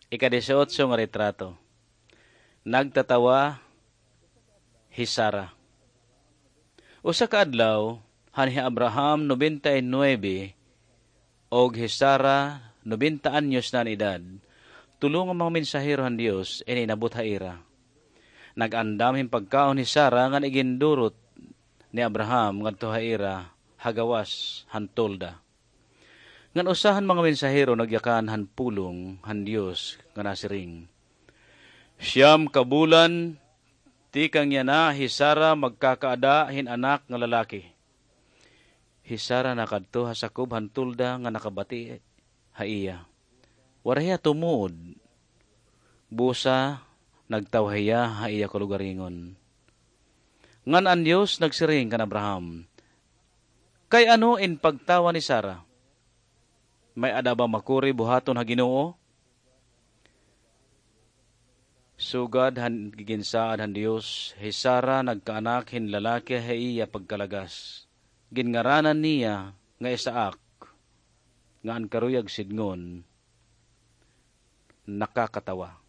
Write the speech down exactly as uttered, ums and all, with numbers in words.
Ika-dieciocho nga retrato. Nagtatawa hi Sara. Usa ka adlaw, han hi Abraham nobenta y nuebe og hi Sara nobenta anyos na an edad, tulo nga mga mensahero han Dios in inabot ha ira. Nag-andam hin pagkaon hi Sara ngan igindurot ni Abraham ngadto ha ira ha gawas han tolda. Ngan usa han mga mensahero nagyakan han pulong han Dios nga nasiring, "Siyam ka bulan tikang yana hi Sara magkakaada hin anak nga lalaki." Hi Sara nakadto ha sakob han tolda nga nakabati ha iya. Waray hiya tumuod. Busa nagtawa hiya ha iya kalugaringon. Ngan an Dios nagsiring kan Abraham, "Kay ano in pagtawa ni Sara? May-ada ba makuri buhaton ha Ginoo?" Sugad han giginsaad han Dios, hi Sara nagkaanak hin lalaki ha iya pagkalagas. Ginngaranan niya nga Isaac, nga an karuyag sidngon, nakakatawa.